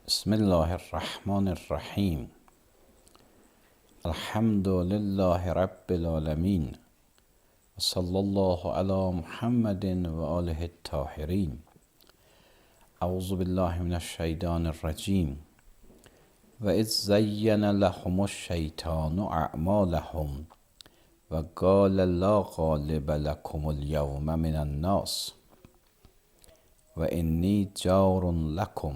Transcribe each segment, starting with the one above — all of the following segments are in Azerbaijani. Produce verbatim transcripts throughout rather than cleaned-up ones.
Bismillahirrahmanirrahim. Elhamdülillahi Rabbil alemin. Sallallahu ala Muhammedin ve alihi tahirin. Euzu billahi mineşşeytanirracim. Ve iz zeyyene lehumuş şeytanu a'malahum. Ve gâle la gâlibe lekumul yevme minen nas. Ve inni carun lekum.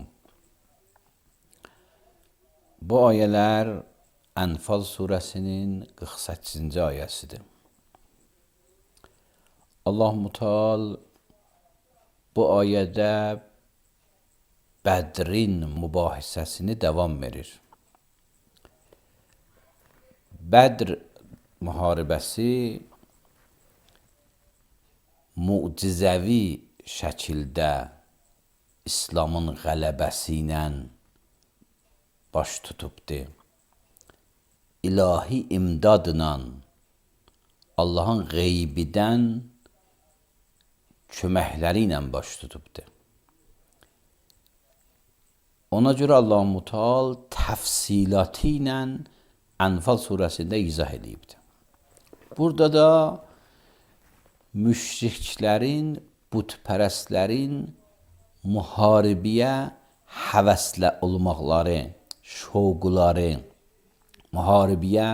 Bu ayələr Ənfal surəsinin qırx səkkizinci ayəsidir. Allah-u Teala bu ayədə Bədrin mübahisəsini davam verir. Bədr müharibəsi mucizəvi şəkildə İslamın qələbəsi ilə baş tutubdur. İlahi imdadla Allahın qeybidən köməkləri ilə baş tutubdur. Ona görə Allah-u Teala təfsilatı ilə Ənfal surəsində izah edibdir. Burada da müşriklərin, bütpərəstlərin müharibəyə həvəslə olmaqları, şovqları, müharibəyə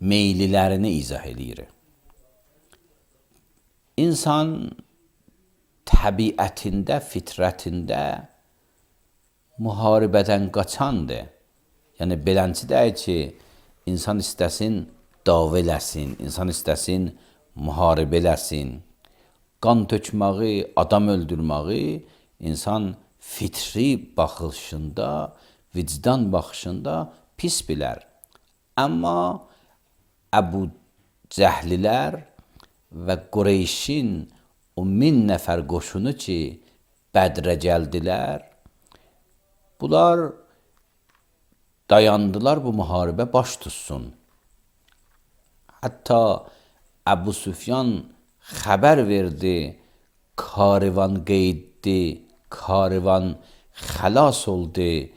meyillərini izah edir. İnsan təbiətində, fitrətində müharibədən qaçandır. Yəni, beləncə deyək ki, insan istəsin dava eləsin, insan istəsin müharibə eləsin. Qan tökməyi, adam öldürməyi insan fitri baxışında, vicdan baxışında pis bilər. Amma Əbu Cəhlilər və Qureyşin o min nəfər qoşunu ki, Bədrə gəldilər, bunlar dayandılar bu müharibə baş tutsun. Hətta Əbu Süfyan xəbər verdi, karivan qeyddi, karivan xəlas oldu.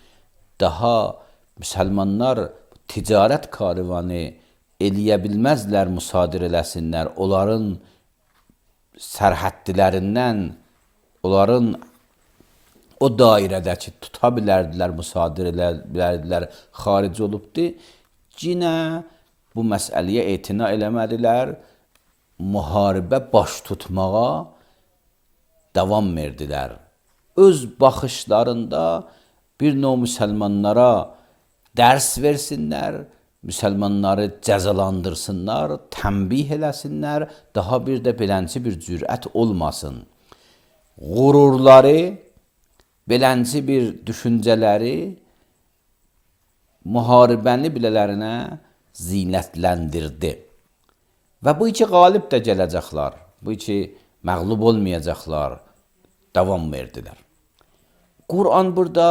Daha müsəlmanlar ticarət karivanı eləyə bilməzlər, müsadir eləsinlər. Onların sərhəddilərindən, onların o dairədəki tuta bilərdilər, müsadir elə bilərdilər, xaric olubdur. Yenə bu məsələyə etina eləmədilər, müharibə baş tutmağa davam verdilər. Öz baxışlarında bir növ müsəlmanlara dərs versinlər, müsəlmanları cəzalandırsınlar, tənbih eləsinlər, daha bir də belənci bir cürət olmasın. Qururları, belənci bir düşüncələri müharibəni bilələrinə zinətləndirdi. Və bu iki qalib də gələcəklər, bu iki məğlub olmayacaqlar, davam verdilər. Quran burada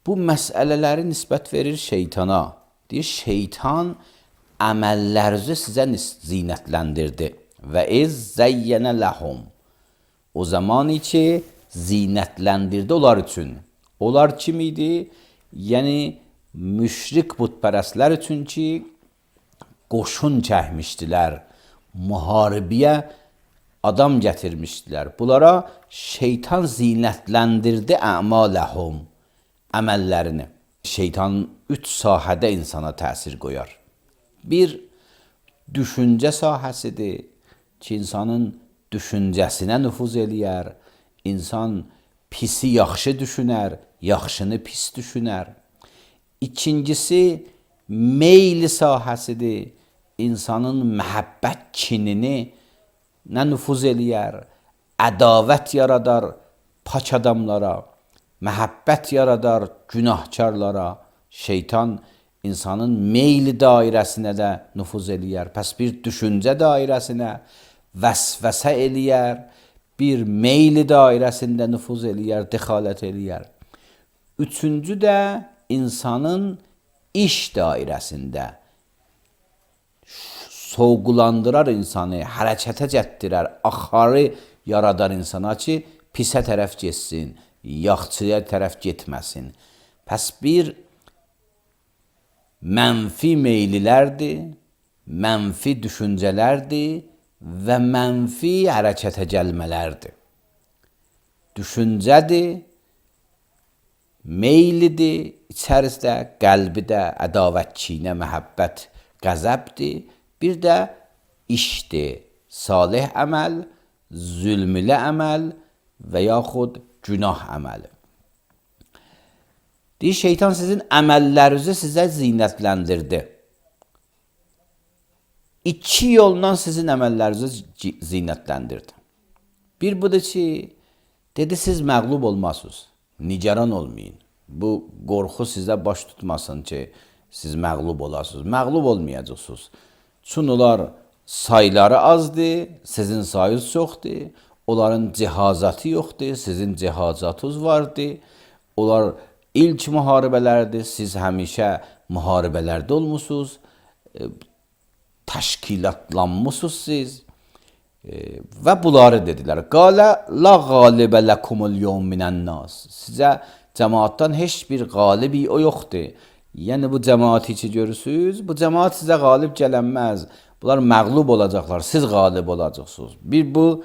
bu məsələləri nisbət verir şeytana. Deyir, şeytan əməllərinizi sizə zinətləndirdi. Və iz zəyyənə ləhum. O zaman ki, zinətləndirdi onlar üçün. Onlar kim idi? Yəni, müşrik bütpərəstlər üçün ki, qoşun çəkmişdilər, müharibəyə adam gətirmişdilər. Bunlara şeytan zinətləndirdi əmaləhum, əməllərini. Şeytan üç sahədə insana təsir qoyar. Bir, düşüncə sahəsidir ki, insanın düşüncəsinə nüfuz eləyər. İnsan pisi yaxşı düşünər, yaxşını pis düşünər. İkincisi, meyli sahəsidir. İnsanın məhəbbət kinini nə nüfuz eləyər, ədavət yaradar pak adamlara, məhəbbət yaradar günahkarlara. Şeytan insanın meyli dairəsinə də nüfuz eləyər. Pəs bir düşüncə dairəsinə vəsvəsə eləyər, bir meyli dairəsində nüfuz eləyər, dəxalət eləyər. Üçüncü də insanın iş dairəsində soğuqlandırar insanı, hərəkətə gətirər, axarı yaradar insana ki, pisə tərəf getsin, yaxçıya tərəf getməsin. Pəs bir mənfi meylilərdir, mənfi düşüncələrdir və mənfi hərəkətə gəlmələrdir. Düşüncədir, meylidir, içərisində qəlbidə ədavət, kinə, məhəbbət, qəzəbdir. Bir də işdir, salih əməl, zülmülə əməl və yaxud günah əməli. Deyir, şeytan sizin əməllərinizi sizə zinətləndirdi. İki yoldan sizin əməllərinizi zinətləndirdi. Bir budur ki, dedi, siz məğlub olmasınız, nigaran olmayın. Bu qorxu sizə baş tutmasın ki, siz məğlub olasınız. Məğlub olmayacaqsınız. Çün onlar sayları azdır, sizin sayınız çoxdur. Onların cihazatı yoxdur, sizin cihazatınız vardır. Onlar ilk müharibələrdir, siz həmişə müharibələrdə olmusunuz. E, təşkilatlanmışsınız siz. E, və bunları dedilər. Qalə la qalibə ləkumul yevm minən nas. Sizə cəmaatdan heç bir qalibi o yoxdur. Yəni bu cəmaati ki görürsünüz, bu cəmaat sizə qalib gələnməz. Bunlar məğlub olacaqlar, siz qalib olacaqsınız. Bir bu,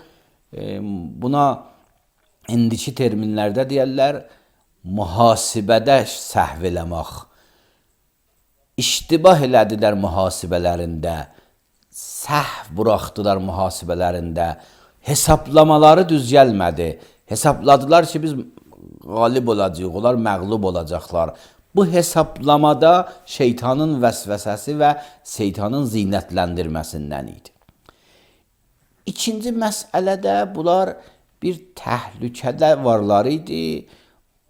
e, buna indiki terminlərdə deyərlər, mühasibədə səhv eləmək. İştibah elədilər mühasibələrində, səhv buraxdılar mühasibələrində, hesablamaları düz gəlmədi. Hesapladılar ki, biz qalib olacağıq, onlar məğlub olacaqlar. Bu hesablamada şeytanın vəsvəsəsi və şeytanın zinətləndirməsindən idi. İkinci məsələdə bunlar bir təhlükədə varlar idi.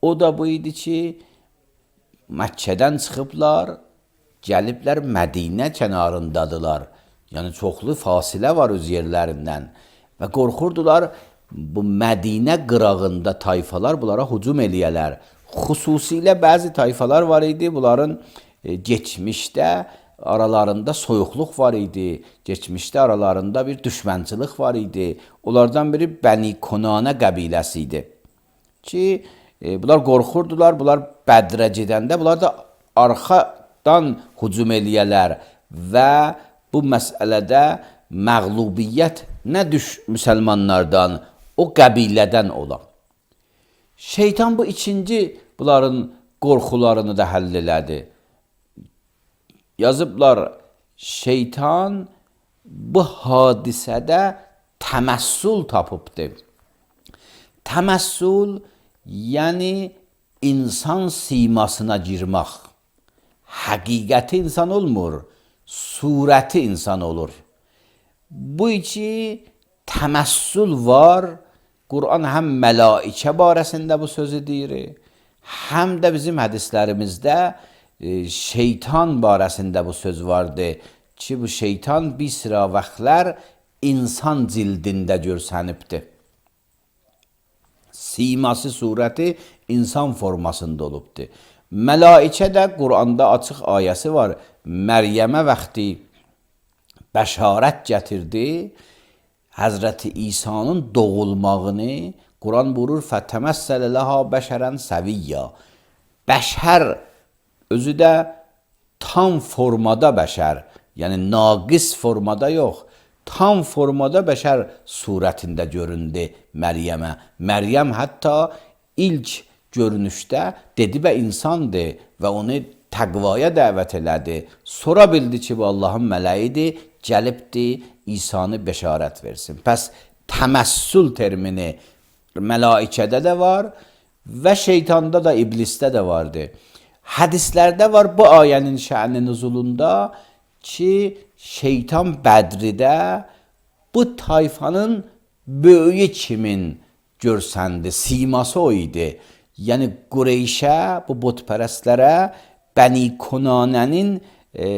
O da bu idi ki, Məkkədən çıxıblar, gəliblər Mədinə kənarındadılar. Yəni çoxlu fasilə var öz yerlərindən və qorxurdular bu Mədinə qırağında tayfalar bunlara hücum eləyələr. Xüsusilə bəzi tayfalar var idi, bunların e, geçmişdə aralarında soyuqluq var idi, geçmişdə aralarında bir düşmənçilik var idi. Onlardan biri Bəni Konanə qəbiləsi idi ki, e, bunlar qorxurdular, bunlar Bədrə gedəndə bunlar da arxadan hücum eləyələr və bu məsələdə məğlubiyyət nə düş müsəlmanlardan, o qəbilədən olar. Şeytan bu ikinci bunların qorxularını da həll elədi. Yazıblar, şeytan bu hadisədə təməssül tapıbdır. Təməssül, yəni insan simasına girmək. Həqiqəti insan olmur, surəti insan olur. Bu iki təməssül var. Quran həm mələikə barəsində bu sözü deyir, həm də bizim hədislərimizdə e, şeytan barəsində bu söz vardır ki, bu şeytan bir sıra vaxtlar insan cildində görsənibdir. Siması, surəti insan formasında olubdur. Mələikə də Quranda açıq ayəsi var. Məryəmə vaxtı bəşarət gətirdi. Həzrəti İsa'nın doğulmağını Quran buyurur, fətəməssələ ləhə bəşərən səviyyə. Bəşər özü də tam formada bəşər, yəni naqis formada yox, tam formada bəşər surətində göründü Məryəmə. Məryəm hətta ilk görünüşdə dedi və insandır və onu təqvaya dəvət elədi. Sonra bildi ki, bu Allahın mələyidir, gəlibdir, İsa'nı bəşarət versin. Pəs təməssül termini mələikədə də var və şeytanda da, iblisdə də vardı. Hədislərdə var bu ayənin şə'ni nüzulunda ki, şeytan Bədridə bu tayfanın böyüyü kimin görsəndi, siması o idi. Yəni Qureyşə, bu botpərəstlərə Bəni Konanənin e,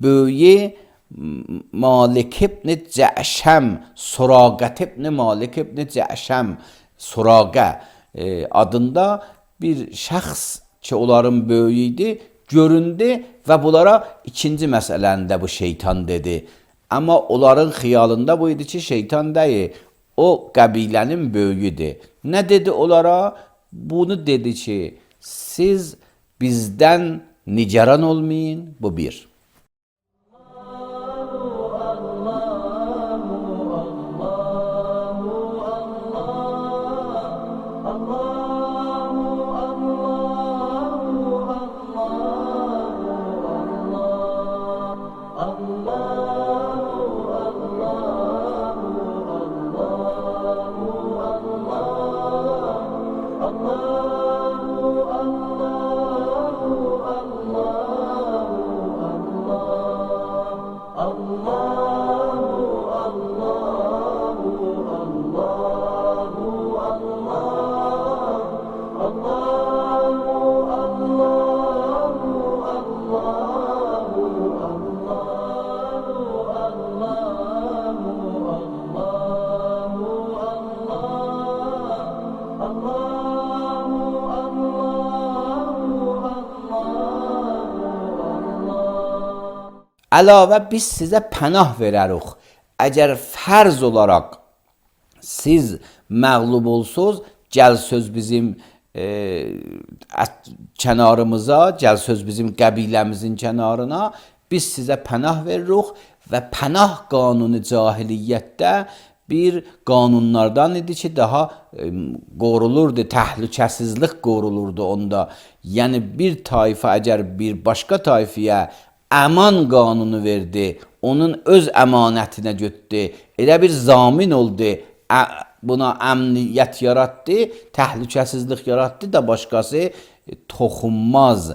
böyüyü Malik ibn Cəşəm, Suraqət ibn Malik ibn Cəşəm, Suraqə e, adında bir şəxs ki, onların böyüyüydü, göründü və bunlara ikinci məsələndə bu şeytan dedi. Amma onların xiyalında bu idi ki, şeytan deyil, o qəbilənin böyüyüdür. Nə dedi onlara? Bunu dedi ki, Siz bizdən nigaran olmayın. Bu bir. Əlavə biz sizə pənah verərik. Əgər fərz olaraq siz məğlub olsuz, gəl söz bizim e, kənarımıza, gəl söz bizim qəbiləmizin kənarına, biz sizə pənah veririk və pənah qanunu cahiliyyətdə bir qanunlardan idi ki, daha e, qorulurdu, təhlükəsizlik qorulurdu onda. Yəni bir tayfa əgər bir başqa tayfiyə əman qanunu verdi, onun öz əmanətinə götdü, elə bir zamin oldu, buna əmniyyət yaratdı, təhlükəsizlik yaratdı da başqası toxunmaz.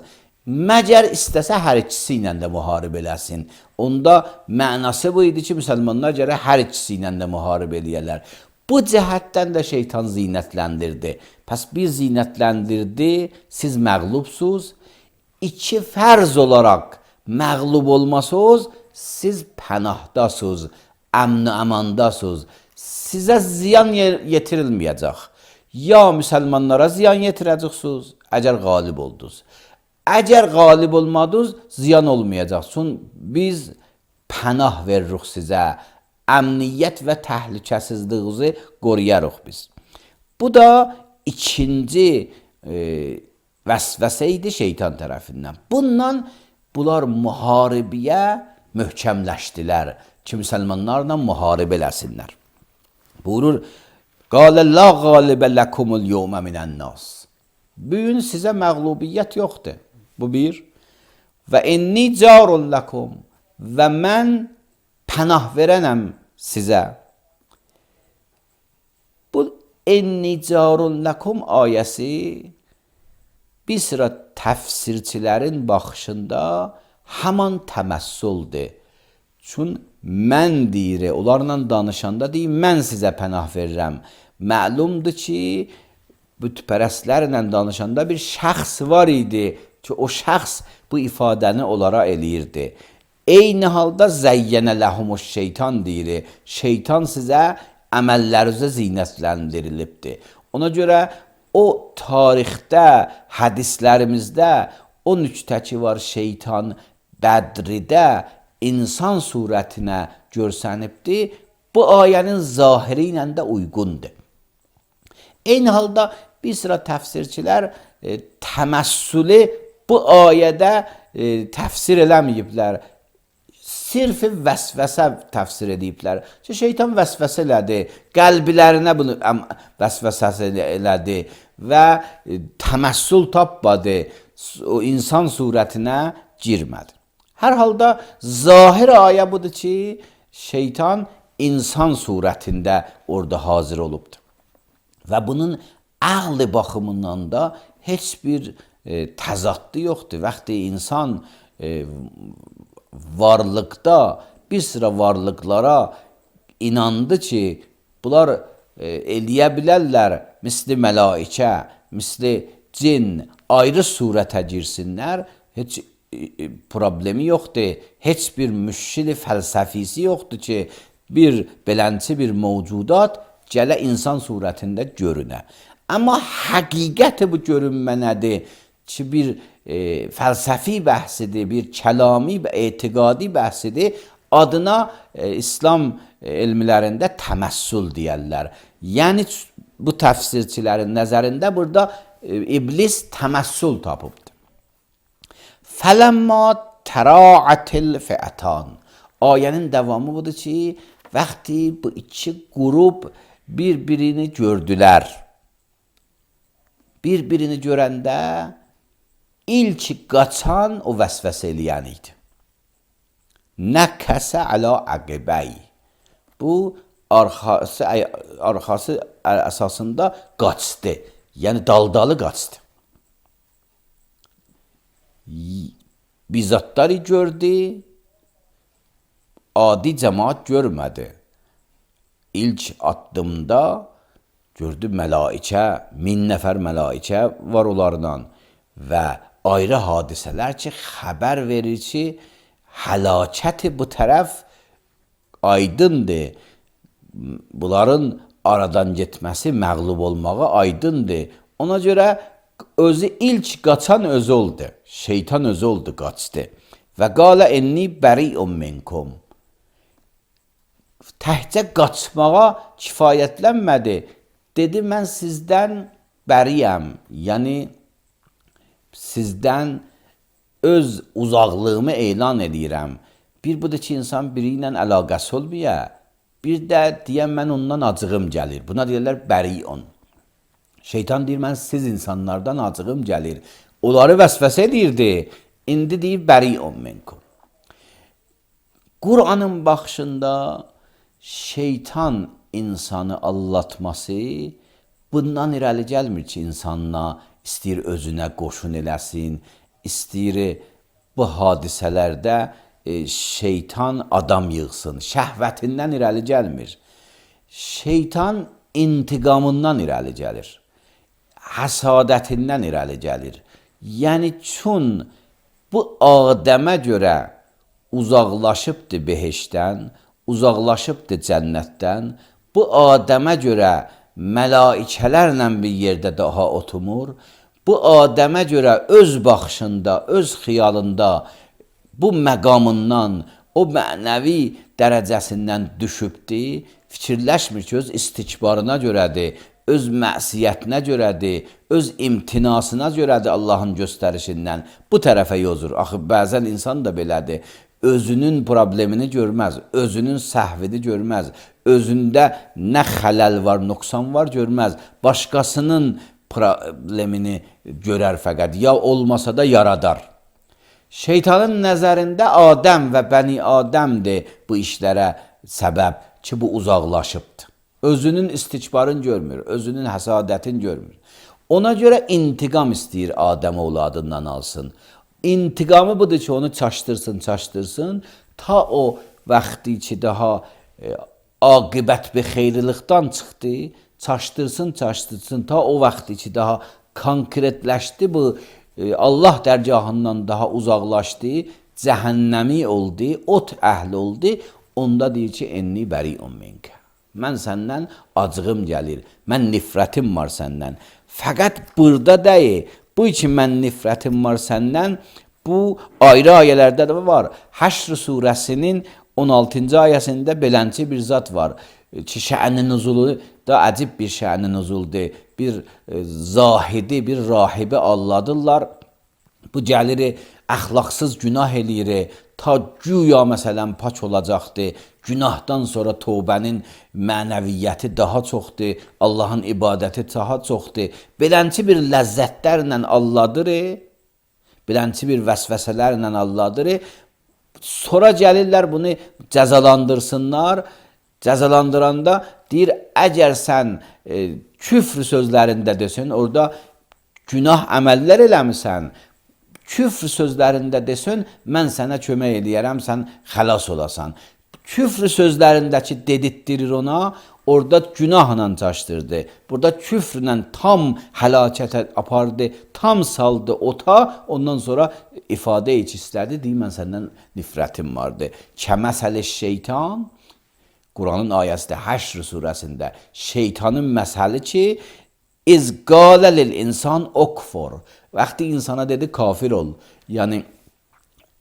Məgər istəsə hər ikisi ilə də müharibə eləsin. Onda mənası bu idi ki, müsəlmanlar gərək hər ikisi ilə də müharibə eləyərlər. Bu cəhətdən də şeytan zinətləndirdi. Pəs bir zinətləndirdi, siz məğlubsuz. İki fərz olaraq məğlub olmasınız, siz pənahdasınız, əmn-i əmandasınız. Sizə ziyan yetirilməyəcək. Ya müsəlmanlara ziyan yetirəcəksiniz, əgər qalib oldunuz. Əgər qalib olmadınız, ziyan olmayacaq. Çünki biz pənah veririk sizə, əmniyyət və təhlükəsizliyinizi qoruyarıq biz. Bu da ikinci e, vəsvəsə idi şeytan tərəfindən. Bundan bunlar müharibəyə möhkəmləşdilər ki, müsəlmanlarla müharibə eləsinlər. Buyurur, qalə la qalibə ləkumul yevmə minən-nas. Bu gün sizə məğlubiyyət yoxdur. Bu bir. Və inni carun ləkum. Və mən pənah verənəm sizə. Bu inni carun ləkum ayəsi bir sıra təfsirçilərin baxışında həman təməssüldür. Çün mən deyir, onlarla danışanda deyir, mən sizə pənah verirəm. Məlumdur ki, bütpərəstlərlə danışanda bir şəxs var idi ki, o şəxs bu ifadəni onlara eləyirdi. Eyni halda zəyyənə ləhumuş şeytan deyir, şeytan sizə əməllərinizə zinətləndirilibdir. Ona görə o tarixdə, hədislərimizdə o nüktə ki var, şeytan Bədridə insan surətinə görsənibdir, bu ayənin zahiri ilə də uyğundur. Eyni halda bir sıra təfsirçilər e, təməssülü bu ayədə e, təfsir eləməyiblər. Sirf vəsvəsə təfsir ediblər. Ki, şeytan vəsvəsə elədi, qəlblərinə bunu vəsvəsə elədi və e, təməssül tapmadı, o insan surətinə girmədi. Hər halda zahir ayə budur ki, şeytan insan surətində orada hazır olubdur. Və bunun əqli baxımından da heç bir e, təzaddı yoxdur. Vaxtı insan e, varlıqda bir sıra varlıqlara inandı ki, bunlar e, eləyə bilərlər, misli mələikə, misli cin, ayrı surətə girsinlər, heç e, problemi yoxdur. Heç bir müşkili fəlsəfisi yoxdur ki, bir belənçi bir mövcudat gələ insan surətində görünə. Amma həqiqəti bu görünmə nədir ki, bir e, fəlsəfi bəhsidir, bir kəlami və etiqadi bəhsidir. Adına e, İslam elmlərində təməssül deyərlər. Yəni bu təfsirçilərin nəzərində burada e, iblis təməssül tapıbdır. Fələmma təra'atil fi'atan. Ayənin davamı budur ki, vaxtı bu iki qrup bir-birini gördülər. Bir-birini görəndə ilk qaçan o vəsvəsə eləyən idi. Nəkəsə əla əqibəy. Bu arxası, arxası əsasında qaçdı. Yəni daldalı qaçdı. Bizzatları gördü, adi cəmaat görmədi. İlk addımda gördü mələikə, min nəfər mələikə var onlarla və ayrı hadisələr ki, xəbər verir ki, həlakəti bu tərəf aydındır. Bunların aradan getməsi, məğlub olmağı aydındır. Ona görə özü ilk qaçan özü oldu. Şeytan özü oldu, qaçdı. Və qalə enni bəri'un minkum. Təhcə qaçmağa kifayətlənmədi. Dedi, mən sizdən bəriyəm. Yəni, sizdən öz uzaqlığımı elan edirəm. Bir budur ki, insan biri ilə əlaqəsi olmuyor. Bir də deyən, mən ondan acığım gəlir. Buna deyirlər bəri'un. Şeytan deyir, mən siz insanlardan acığım gəlir. Onları vəsvəsə edirdi. İndi deyir, bəri'un minkum. Qur'anın baxışında şeytan insanı allatması bundan irəli gəlmir ki, insanla istəyir özünə qoşun eləsin, istəyir bu hadisələrdə e, şeytan adam yığsın. Şəhvətindən irəli gəlmir. Şeytan intiqamından irəli gəlir. Həsadətindən irəli gəlir. Yəni, çün bu Adəmə görə uzaqlaşıbdır behişdən, uzaqlaşıbdır cənnətdən, bu Adəmə görə mələikələrlə bir yerdə daha oturmur, bu Adəmə görə öz baxışında, öz xiyalında bu məqamından, o mənəvi dərəcəsindən düşübdir, fikirləşmir ki, öz istikbarına görədir, öz məsiyyətinə görədir, öz imtinasına görədir Allahın göstərişindən. Bu tərəfə yozur. Axı, bəzən insan da belədir. Özünün problemini görməz, özünün səhvini görməz, özündə nə xələl var, nöqsan var görməz, başqasının problemini görər fəqət, ya olmasa da yaradar. Şeytanın nəzərində Adəm və Bəni Adəmdir bu işlərə səbəb ki, bu uzaqlaşıbdır. Özünün istikbarını görmür, özünün həsadətini görmür. Ona görə intiqam istəyir Adəm oğladından alsın. İntiqamı budur ki, onu çaşdırsın, çaşdırsın, ta o vaxtı ki, daha e, aqibət bir xeyrilikdən çıxdı, çaşdırsın, çaşdırsın, ta o vaxtı ki, daha konkretləşdi bu, e, Allah dərgahından daha uzaqlaşdı, cəhənnəmi oldu, ot əhli oldu, onda deyir ki, enni bəri'un minkə. Mən səndən acığım gəlir, mən nifrətim var səndən. Fəqət burada deyil, bu için mən nifrətim var səndən, bu ayrı ayələrdə də var. Həşr surəsinin on altıncı ayəsində belənçi bir zat var ki, şə'ni nuzulu da əcib bir şə'ni nuzuldur. Bir e, zahidi, bir rahibi alladırlar. Bu gəlir, əxlaqsız günah eləyir, ta güya məsələn pak olacaqdır. Günahdan sonra tövbənin mənəviyyəti daha çoxdur, Allahın ibadəti daha çoxdur. Belənçi bir ləzzətlərlə alladır, belənçi bir vəsvəsələrlə alladır. Sonra gəlirlər bunu cəzalandırsınlar. Cəzalandıranda deyir, əgər sən e, küfr sözlərində desin, orada günah əməllər eləmisən, küfr sözlərində desin, mən sənə kömək eləyərəm, sən xəlas olasan. Küfr sözlərindəki dedirtdirir ona, orada günahla çaşdırdı. Burada küfrlə tam həlakətə apardı, tam saldı ota, ondan sonra ifadə heç istədi, deyir, mən səndən nifrətim vardı. Kəməsəli şeytan, Quranın ayəsində, Həşr surəsində, şeytanın məsəli ki, İz qalə lil insan okfor. Vaxtı insana dedi, kafir ol. Yəni,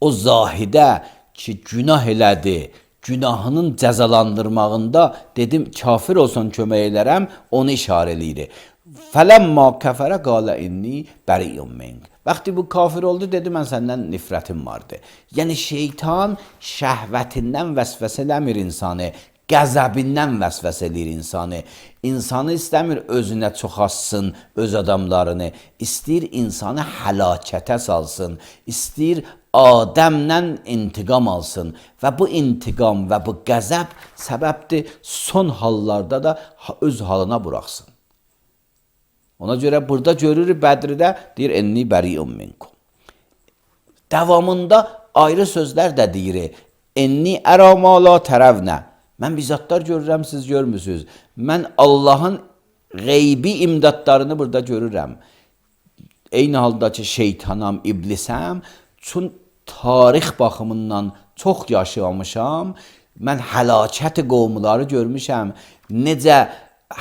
o zahidə ki, günah elədi, günahının cəzalandırmağında dedim, kafir olsan kömək elərəm, onu işarə eləyir. Fələmma kəfərə qalə inni bəriyyum minq. Vəqti bu kafir oldu, dedi mən səndən nifrətim vardı. Yəni şeytan şəhvətindən vəsvəsə eləmir insanı, qəzəbindən vəsvəsə eləyir insanı. İnsanı istəmir özünə çoxassın, öz adamlarını. İstəyir insanı həlakətə salsın. İstəyir Adəmlə intiqam alsın. Və bu intiqam və bu qəzəb səbəbdir son hallarda da öz halına buraxsın. Ona görə burada görürük Bədirdə deyir enni bəriyyum minkum. Davamında ayrı sözlər də deyir. Enni ərə ma la tərəvnə. Mən bizzatlar görürəm, siz görmüsünüz. Mən Allahın qeybi imdadlarını burada görürəm. Eyni halda ki şeytanam, iblisəm, çün tarix baxımından çox yaşamışam. Mən həlakət qovumları görmüşəm. Necə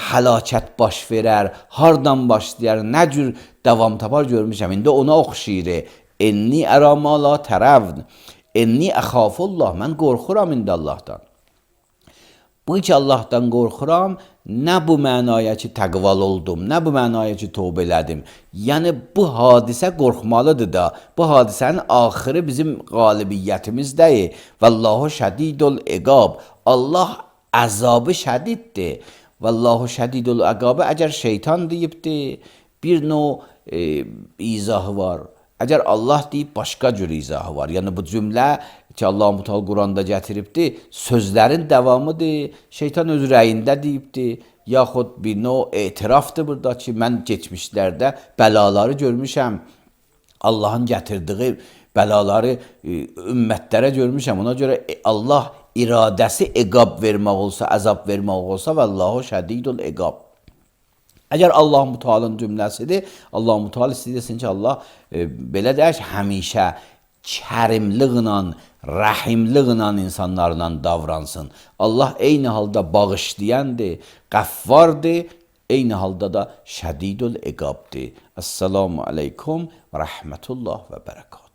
həlakət baş verər, hardan başlayar, nə cür davam tapar görmüşəm. İndi ona oxşayır. Enni ərə ma la tərəvn. Enni əxafullah. Mən qorxuram indi Allahdan. Bu ki Allahdan qorxuram, nə bu mənaya ki təqval oldum, nə bu mənaya ki tövbə elədim. Yəni bu hadisə qorxmalıdır da. Bu hadisənin axırı bizim qalibiyyətimizdəyir. Vallahu şədidul iqab. Allah əzabı şədiddir. Vallahu şədidul iqab. Əgər şeytan deyibdir, bir növ e, izahı var. Əgər Allah deyib, başqa cür izahı var. Yəni bu cümlə ki Allah-u Teala Quranda gətiribdir, sözlərin davamıdır. Şeytan öz rəyində deyibdir. Yaxud bir növ etirafdır burada ki, mən keçmişlərdə bəlaları görmüşəm. Allahın gətirdiyi bəlaları e, ümmətlərə görmüşəm. Ona görə Allah iradəsi iqab vermək olsa, əzab vermək olsa, vallahu şədidul iqab. Əgər Allah-u Teala'nın cümləsidir, Allah-u Teala istəyirsin ki, Allah e, belə deyək, həmişə kərimliğlə, rəhimliğlə insanlarla davransın. Allah eyni halda bağışlayandır, qəffardır, eyni halda da şədidul iqabdır. Esselamu aleykum və rəhmətullah və bərəkət.